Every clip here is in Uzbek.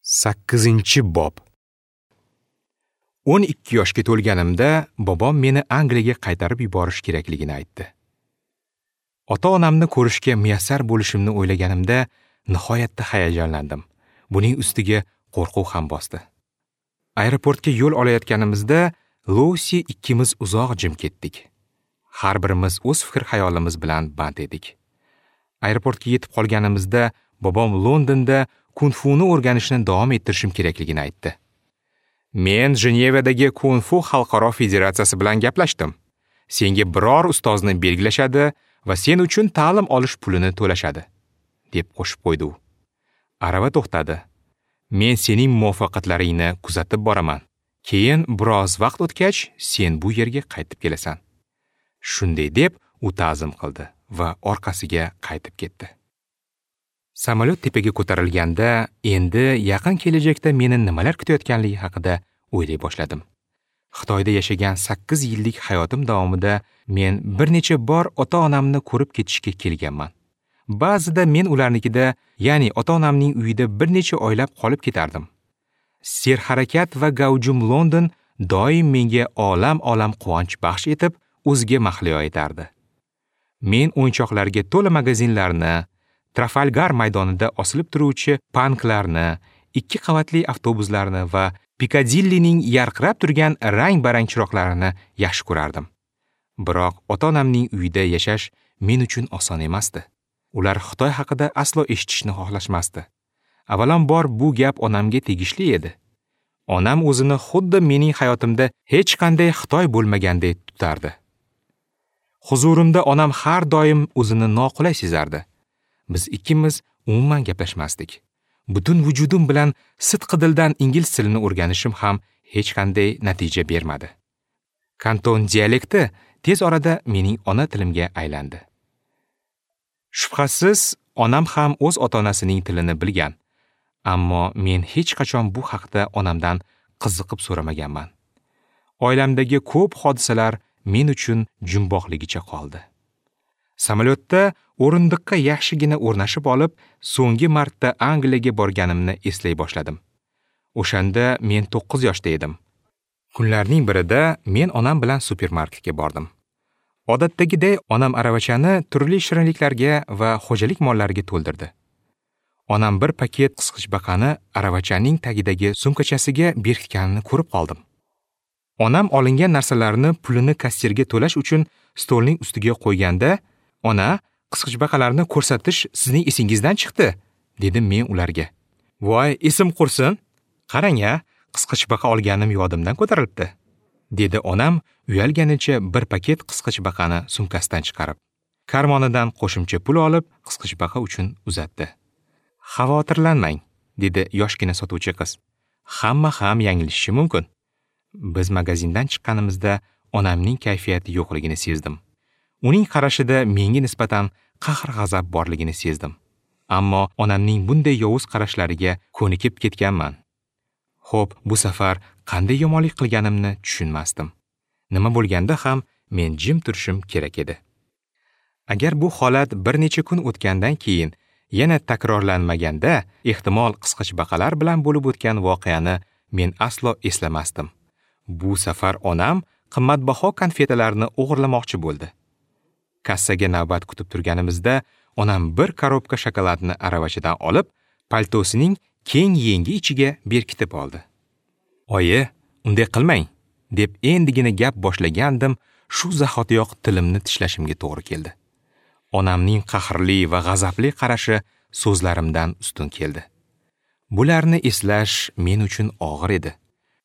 8-bob. 12 yoshga to'lganimda bobom meni Angliyaga qaytarib yuborish kerakligini aytdi. Ota-onamni ko'rishga muyassar bo'lishimni o'ylaganimda nihoyatda hayajonlandim. Buning ustiga qo'rquv ham bosdi. Aeroportga yo'l olayotganimizda Lusi ikkimiz uzoq jim ketdik. Har birimiz o'z fikr-xayolimiz bilan band edik. Aeroportga yetib qolganimizda bobom Londonda kung-funi o'rganishni davom ettirishim kerakligini aytdi. Men Jenevadagi Kung-fu xalqaro federatsiyasi bilan gaplashdim. Senga biror ustozni belgilashadi va sen uchun ta'lim olish pulini to'lashadi, deb qo'shib qo'ydi u. Arava to'xtadi. Men sening muvaffaqiyatlaringni kuzatib boraman. Keyin biroz vaqt o'tgach, sen bu yerga qaytib kelasan. Shunday deb u ta'zim qildi va orqasiga qaytib ketdi. Samolyot tepaga ko'tarilganda endi yaqin kelajakda meni nimalar kutayotganligi haqida o'ylay boshladim. Xitoyda yashagan 8 yillik hayotim davomida men bir necha bor ota-onamni ko'rib ketishga kelganman. Ba'zida men ularnikida, ya'ni ota-onamning uyida bir necha oylab qolib ketardim. Serharakat va gavjum London doim menga olam-olam quvonch baxsh etib, o'ziga mahliyo etardi. Men o'yinchoqlarga to'la magazinlarni, Trafalgar maydonida osilib turuvchi panklarni, 2 qavatli avtobuslarni va Pikadillining yarqirab turgan rang-barang chiroqlarini yaxshi ko'rardim. Biroq ota-onamning uyida yashash men uchun oson emasdi. Ular Xitoy haqida aslo eshitishni xohlashmasdi. Avvalambor bu gap onamga tegishli edi. Onam o'zini xuddi mening hayotimda hech qanday Xitoy bo'lmaganday tutardi. Huzurimda onam har doim o'zini noqulay sezardi. Biz ikkimiz umuman gaplashmasdik. Butun vujudim bilan sidqidildan ingliz tilini o'rganishim ham hech qanday natija bermadi. Kanton dialekti tez orada mening ona tilimga aylandi. Shubhasiz, onam ham o'z ota-onasining tilini bilgan. Ammo men hech qachon bu haqda onamdan qiziqib so'ramaganman. Oilamdagi ko'p hodisalar men uchun jumboqligicha qoldi. Samolyotda o'rindiqqa yaxshigina o'rnashib olib, so'nggi marta Angliyaga borganimni eslay boshladim. O'shanda men 9 yoshda edim. Kunlarning birida men onam bilan supermarketga bordim. Odatdagiday onam aravachani turli shirinliklarga va xo'jalik mollariga to'ldirdi. Onam bir paket qisqichbaqani aravachaning tagidagi sumkachasiga berkitganini ko'rib qoldim. Onam olingan narsalarni pulini kassirga to'lash uchun stolning ustiga qo'yganda, "Ona, qisqichbaqalarni ko'rsatish sizning esingizdan chiqdi", dedim men ularga. "Voy, esim qursin. Qarang-a, qisqichbaqa olganim yodimdan ko'tarilibdi", dedi onam uyalganicha bir paket qisqichbaqani sumkasidan chiqarib. Karmonidan qo'shimcha pul olib, qisqichbaqa uchun uzatdi. "Xavotirlanmang", dedi yoshgina sotuvchi qiz. "Hamma ham yanglishishi mumkin." Biz magazindan chiqqanimizda onamning kayfiyati yo'qligini sezdim. Uning qarashida menga nisbatan qahr-g'azab borligini sezdim. Ammo onamning bunday yovuz qarashlariga ko'nikib ketganman. Xo'p, bu safar qanday yomonlik qilganimni tushunmasdim. Nima bo'lganda ham men jim turishim kerak edi. Agar bu holat bir necha kun o'tgandan keyin yana takrorlanmaganda, ehtimol qisqichbaqalar bilan bo'lib o'tgan voqeani men aslo eslamasdim. Bu safar onam qimmatbaho konfetalarni o'g'irlamoqchi bo'ldi. Kassaga navbat kutib turganimizda onam bir korobka shokoladni aravachadan olib, paltosining keng yengi ichiga berkitib oldi. "Oyi, unday qilmang", deb endigina gap boshlagandim, shu zahotiyoq tilimni tishlashimga to'g'ri keldi. Onamning qahrli va g'azabli qarashi so'zlarimdan ustun keldi. Bularni eslash men uchun og'ir edi.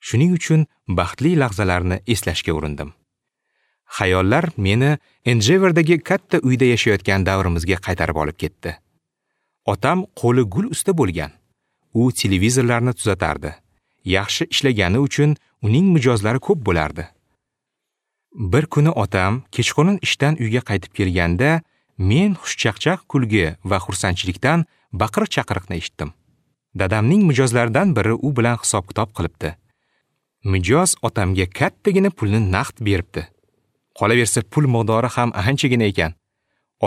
Shuning uchun baxtli lahzalarni eslashga urindim. Xayollar meni Enjeverdagi katta uyda yashayotgan davrimizga qaytarib olib ketdi. Otam qo'li gul usta bo'lgan. U televizorlarni tuzatardi. Yaxshi ishlagani uchun uning mijozlari ko'p bo'lardi. Bir kuni otam kechqurun ishdan uyga qaytib kelganda, men xushchaqchaq kulgi va xursandchilikdan baqir-chaqiriqni eshitdim. Dadamning mijozlaridan biri u bilan hisob-kitob qilibdi. Mijoz otamga kattagina pulni naqd beribdi. Qolaversa pul miqdori ham anchagina ekan.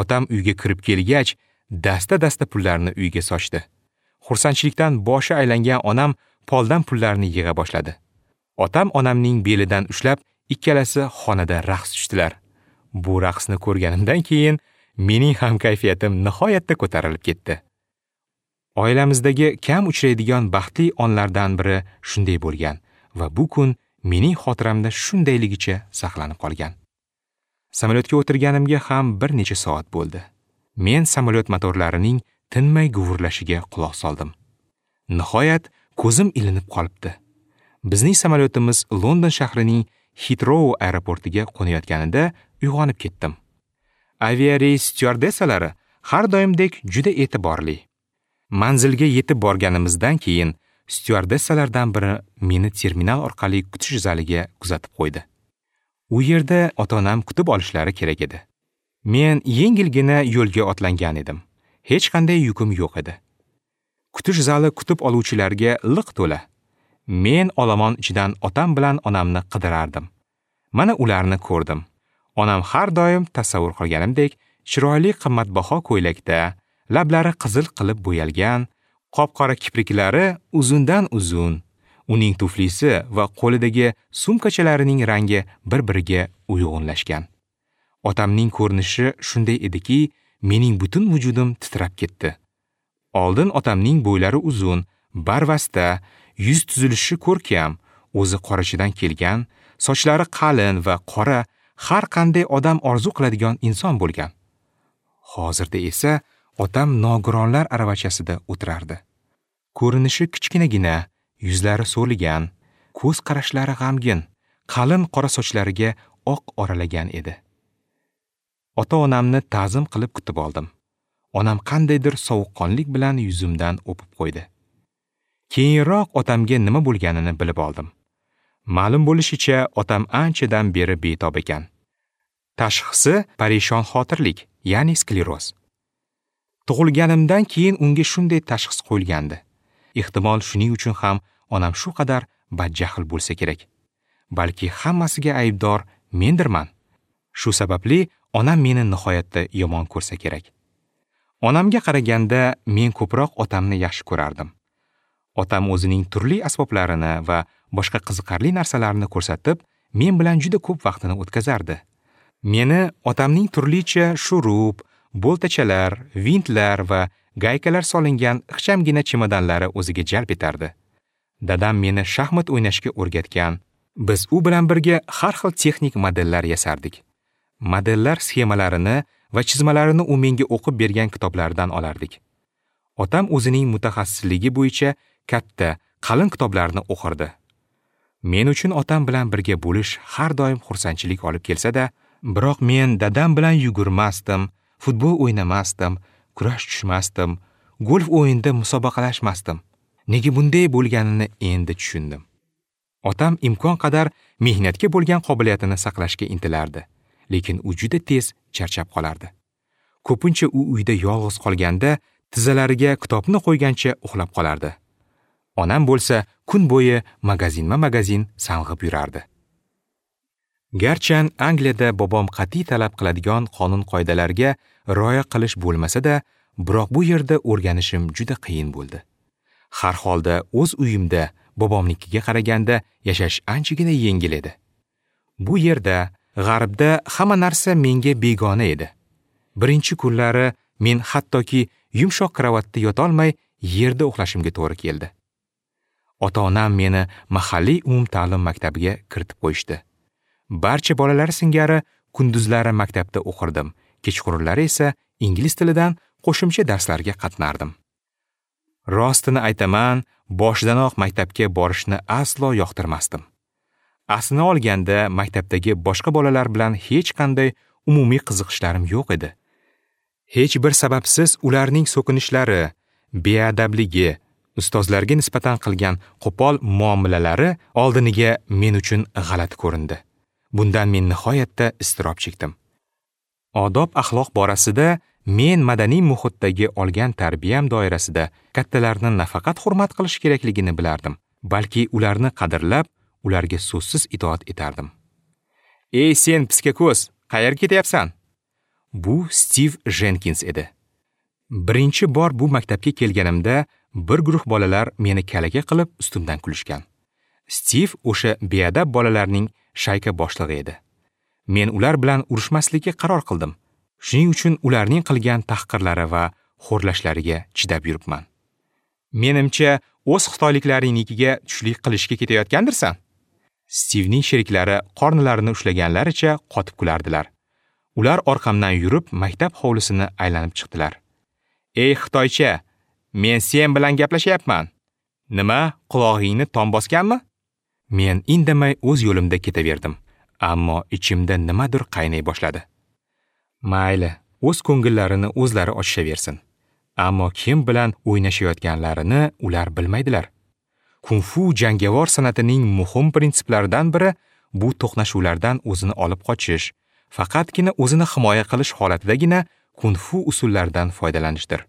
Otam uyga kirib kelgach, dasta-dasta pullarni uyga sochdi. Xursandchilikdan boshi aylangan onam poldan pullarni yig'a boshladi. Otam onamning belidan ushlab, ikkalasi xonada raqs tushdilar. Bu raqsni ko'rganimdan keyin mening ham kayfiyatim nihoyatda ko'tarilib ketdi. Oilamizdagi kam uchraydigan baxtli onlardan biri shunday bo'lgan va bu kun mening xotiramda shundayligicha saqlanib qolgan. Samolyotga o'tirganimga ham bir necha soat bo'ldi. Men samolyot motorlarining tinmay guvurlashiga quloq soldim. Nihoyat ko'zim ilinib qolibdi. Bizning samolyotimiz London shahrining Heathrow aeroportiga qo'nayotganida uyg'onib ketdim. Aviareys styuardessalari har doimdek juda e'tiborli. Manzilga yetib borganimizdan keyin styuardessalardan biri meni terminal orqali kutish zaliga kuzatib qo'ydi. U yerda ota-onam kutib olishlari kerak edi. Men yengilgina yo'lga otlangan edim. Hech qanday yukim yo'q edi. Kutish zali kutib oluvchilarga liq to'la. Men olomon ichidan otam bilan onamni qidirardim. Mana ularni ko'rdim. Onam har doim tasavvur qilganimdek chiroyli qimmatbaho ko'ylakda, lablari qizil qilib bo'yalgan, qop-qora kipriklari uzundan uzun, uning tuflisi va qo'lidagi sumkachalarining rangi bir-biriga uyg'unlashgan. Otamning ko'rinishi shunday ediki, mening butun vujudim titrab ketdi. Oldin otamning bo'ylari uzun, barvasta, yuz tuzilishi ko'rkam, o'zi qorachidan kelgan, sochlari qalin va qora, har qanday odam orzu qiladigan inson bo'lgan. Hozirda esa otam nogironlar aravachasida o'tirardi. Ko'rinishi kichkinagina, yuzlari so'ligan, ko'z qarashlari g'amgin, qalin qora sochlariga oq oralagan edi. Ota-onamni ta'zim qilib kutib oldim. Onam qandaydir sovuqqonlik bilan yuzimdan o'pib qo'ydi. Keyinroq otamga nima bo'lganini bilib oldim. Ma'lum bo'lishicha, otam anchadan beri betob ekan. Tashxisi parishon xotirlik, ya'ni skleroz. Tug'ilganimdan keyin unga shunday tashxis qo'yilgandi. Ehtimol shuning uchun ham onam shu qadar badjahl bo'lsa kerak. Balki hammasiga aybdor mendirman. Shu sababli onam meni nihoyatda yomon ko'rsa kerak. Onamga qaraganda men ko'proq otamni yaxshi ko'rardim. Otam o'zining turli asboblarini va boshqa qiziqarli narsalarni ko'rsatib, men bilan juda ko'p vaqtini o'tkazardi. Meni otamning turlicha shurub, boltachalar, vintlar va gaykalar solingan ixchamgina chemodanlari o'ziga jalb etardi. Dadam meni shaxmat o'ynashga o'rgatgan. Biz u bilan birga har xil texnik modellar yasardik. Modellar sxemalarini va chizmalarini u menga o'qib bergan kitoblardan olardik. Otam o'zining mutaxassisligi bo'yicha katta, qalin kitoblarni o'qirdi. Men uchun otam bilan birga bo'lish har doim xursandchilik olib kelsa-da, biroq men dadam bilan yugurmasdim, futbol o'ynamasdim, kurash tushmasdim, golf o'yinida musobaqalashmasdim. Nega bunday bo'lganini endi tushundim. Otam imkon qadar mehnatga bo'lgan qobiliyatini saqlashga intilardi, lekin u juda tez charchab qolardi. Ko'pincha u uyda yolg'iz qolganda tizzalariga kitobni qo'ygancha uxlab qolardi. Onam bo'lsa kun bo'yi magazinma-magazin sang'ib yurardi. Garchan Angliyada bobom qat'iy talab qiladigan qonun-qoidalarga rioya qilish bo'lmasa-da, biroq bu yerda o'rganishim juda qiyin bo'ldi. Har holda o'z uyimda bobomnikiga qaraganda yashash anchagina yengil edi. Bu yerda, g'arbda hamma narsa menga begona edi. Birinchi kunlari men hattoki yumshoq kravatda yotolmay yerda uxlashimga to'g'ri keldi. Ota-onam meni mahalliy umumta'lim maktabiga kiritib qo'yishdi. Barcha bolalar singari kunduzlari maktabda o'qirdim, kechqurunlari esa ingliz tilidan qo'shimcha darslarga qatnardim. Rostini aytaman, boshidanoq maktabga borishni aslo yoqtirmasdim. Aslini olganda maktabdagi boshqa bolalar bilan hech qanday umumiy qiziqishlarim yo'q edi. Hech bir sababsiz ularning so'kinishlari, beadabligi, ustozlarga nisbatan qilgan qo'pol muomalalari oldiniga men uchun g'alati ko'rindi. Bundan men nihoyatda iztirob chekdim. Odob axloq borasida men madaniy muhitdagi olgan tarbiyam doirasida kattalarni nafaqat hurmat qilish kerakligini bilardim, balki ularni qadrlab, ularga so'zsiz itoat etardim. "Ey sen piska ko'z, qayerga ketyapsan?" Bu Stiv Jenkins edi. Birinchi bor bu maktabga kelganimda bir guruh bolalar meni kalaka qilib ustimdan kulishgan. Stiv o'sha beadab bolalarning shayka boshlig'i edi. Men ular bilan urushmaslikka qaror qildim. Shuning uchun ularning qilgan tahqirlari va xo'rlashlariga chidab yuribman. Menimcha, o'z xitoyliklaringnikiga tushlik qilishga ketayotgandirsan? Stivning sheriklari qornilarini ushlaganlaricha qotib kulardilar. Ular orqamdan yurib maktab hovlisini aylanib chiqdilar. "Ey xitoycha, men sen bilan gaplashyapman. Nima, qulog'ingni tom bosganmi?" Men indamay o'z yo'limda ketaverdim, ammo ichimda nimadir qaynay boshladi. Mayli, o'z ko'ngillarini o'zlari ochishaversin. Ammo kim bilan o'ynashayotganlarini ular bilmaydilar. Kung-fu jangovar san'atining muhim prinsiplaridan biri bu to'qnashuvlardan o'zini olib qochish, faqatgina o'zini himoya qilish holatidagina kung-fu usullaridan foydalanishdir.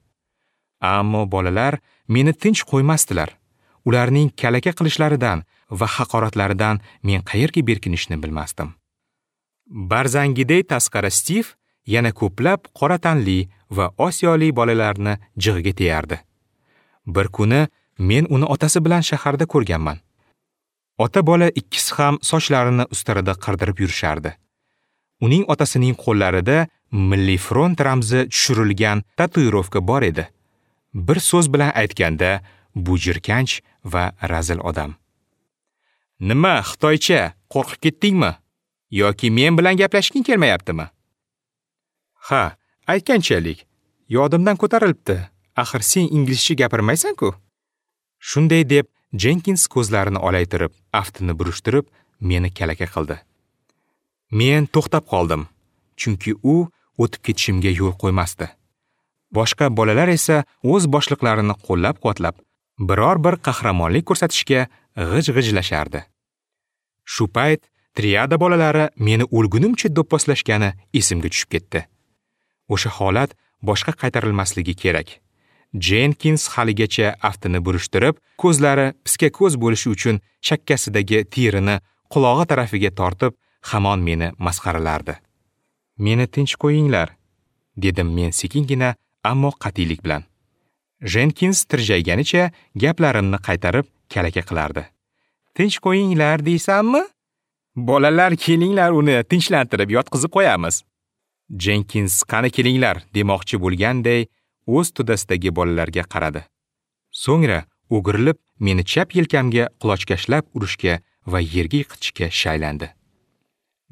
Ammo bolalar meni tinch qo'ymasdilar. Ularning kalaka qilishlaridan va haqoratlaridan men qayerga berkinishni bilmasdim. Barzangiday tasqara Stiv yana ko'plab qora tanli va osiyolik bolalarni jig'iga teyardi. Bir kuni men uni otasi bilan shaharda ko'rganman. Ota-bola ikkisi ham sochlarini ustarada qirdirib yurishardi. Uning otasining qo'llarida Milliy front ramzi tushirilgan tatuirovka bor edi. Bir so'z bilan aytganda, bu jirkanch va razil odam. "Nima, xitoycha, qo'rqib ketdingmi? Yoki men bilan gaplashging kelmayaptimi?" "Ha, aytganchalik, yodimdan ko'tarilibdi. Axir sen inglizcha gapirmaysan-ku." Shunday deb Jenkins ko'zlarini olaytirib, aftini burishtirib, meni kalaka qildi. Men to'xtab qoldim, chunki u o'tib ketishimga yo'l qo'ymasdi. Boshqa bolalar esa o'z boshliqlarini qo'llab-quvvatlab, biror bir qahramonlik ko'rsatishga g'ij-g'ijlashardi. Shu payt triada bolalari meni o'lgunimcha do'pposlashgani esimga tushib ketdi. O'sha holat boshqa qaytarilmasligi kerak. Jenkins haligacha aftini burishtirib, ko'zlari piska ko'z bo'lishi uchun chakkasidagi terini qulog'i tarafiga tortib, hamon meni masxaralardi. "Meni tinch qo'yinglar", dedim men sekingina, ammo qat'iylik bilan. Jenkins tirjayganicha gaplarimni qaytarib kalaka qilardi. "Tinch qo'yinglar deysanmi? Bolalar, kelinglar, uni tinchlantirib yotqizib qo'yamiz." Jenkins "Qani kelinglar" demoqchi bo'lganday o'z to'dasidagi bolalarga qaradi. So'ngra o'girilib meni chap yelkamga qulochkashlab urishga va yerga yiqitishga shaylandi.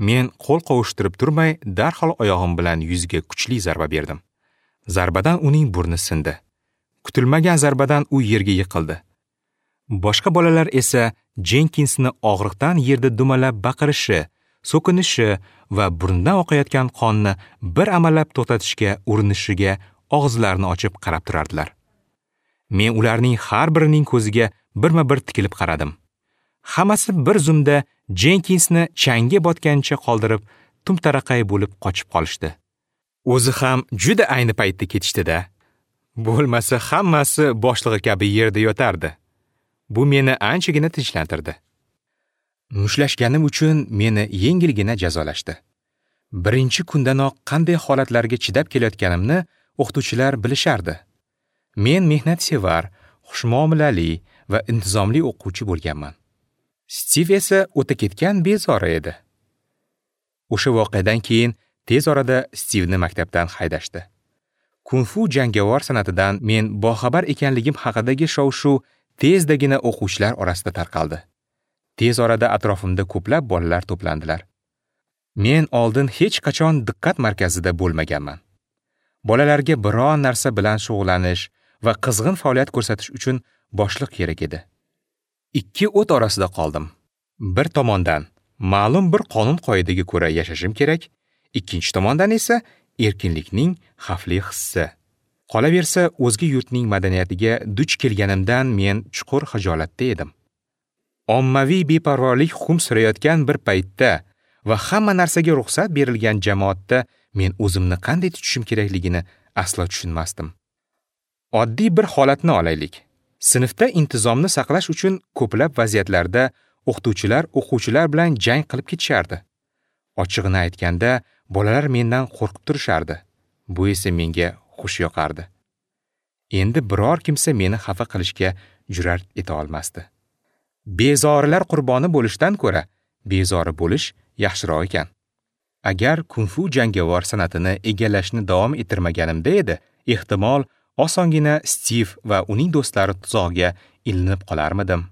Men qo'l qovushtirib turmay darhol oyog'im bilan yuziga kuchli zarba berdim. Zarbadan uning burni sindi. Kutilmagan zarbadan u yerga yiqildi. Boshqa bolalar esa Jenkinsni og'riqdan yerda dumalab baqirishi, so'kinishi va burnidan oqayotgan qonni bir amallab to'xtatishga urinishiga og'izlarini ochib qarab turardilar. Men ularning har birining ko'ziga birma-bir tikilib qaradim. Hammasi bir zumda Jenkinsni changga botgancha qoldirib, tumtaraqay bo'lib qochib qolishdi. O'zi ham juda ayni paytda ketishdi-da. Bo'lmasa hammasi boshlig'i kabi yerda yotardi. Bu meni anchagina tinchlantirdi. Mushlashganim uchun meni yengilgina jazolashdi. Birinchi kundanoq qanday holatlarga chidab kelayotganimni o'qituvchilar bilishardi. Men mehnatsevar, xushmuomalali va intizomli o'quvchi bo'lganman. Stiv esa o'ta ketgan bezori edi. O'sha voqeadan keyin tez orada Stivni maktabdan haydashdi. Kung-fu jangovar san'atidan men boxabar ekanligim haqidagi shov-shuv tezdagina o'quvchilar orasida tarqaldi. Tez orada atrofimda ko'plab bolalar to'plandilar. Men oldin hech qachon diqqat markazida bo'lmaganman. Bolalarga biron narsa bilan shug'ullanish va qizg'in faoliyat ko'rsatish uchun boshliq kerak edi. Ikki o't orasida qoldim. Bir tomondan ma'lum bir qonun-qoidaga ko'ra yashashim kerak, ikkinchi tomondan esa erkinlikning xavfli hissi. Qolaversa, o'zga yurtning madaniyatiga duch kelganimdan men chuqur xijolatda edim. Ommaviy beparvolik hukm surayotgan bir paytda va hamma narsaga ruxsat berilgan jamoatda men o'zimni qanday tutishim kerakligini aslo tushunmasdim. Oddiy bir holatni olaylik. Sinfda intizomni saqlash uchun ko'plab vaziyatlarda o'qituvchilar o'quvchilar bilan jang qilib ketishardi. Ochig'ini aytganda, bolalar mendan qo'rqib turishardi. Bu esa menga xush yoqardi. Endi biror kimsa meni xafa qilishga jur'at eta olmasdi. Bezorilar qurboni bo'lishdan ko'ra bezori bo'lish yaxshiroq ekan. Agar kung-fu jangovar san'atini egallashni davom ettirmaganimda edi, ehtimol osongina Stiv va uning do'stlari tuzog'iga ilinib qolarmidim.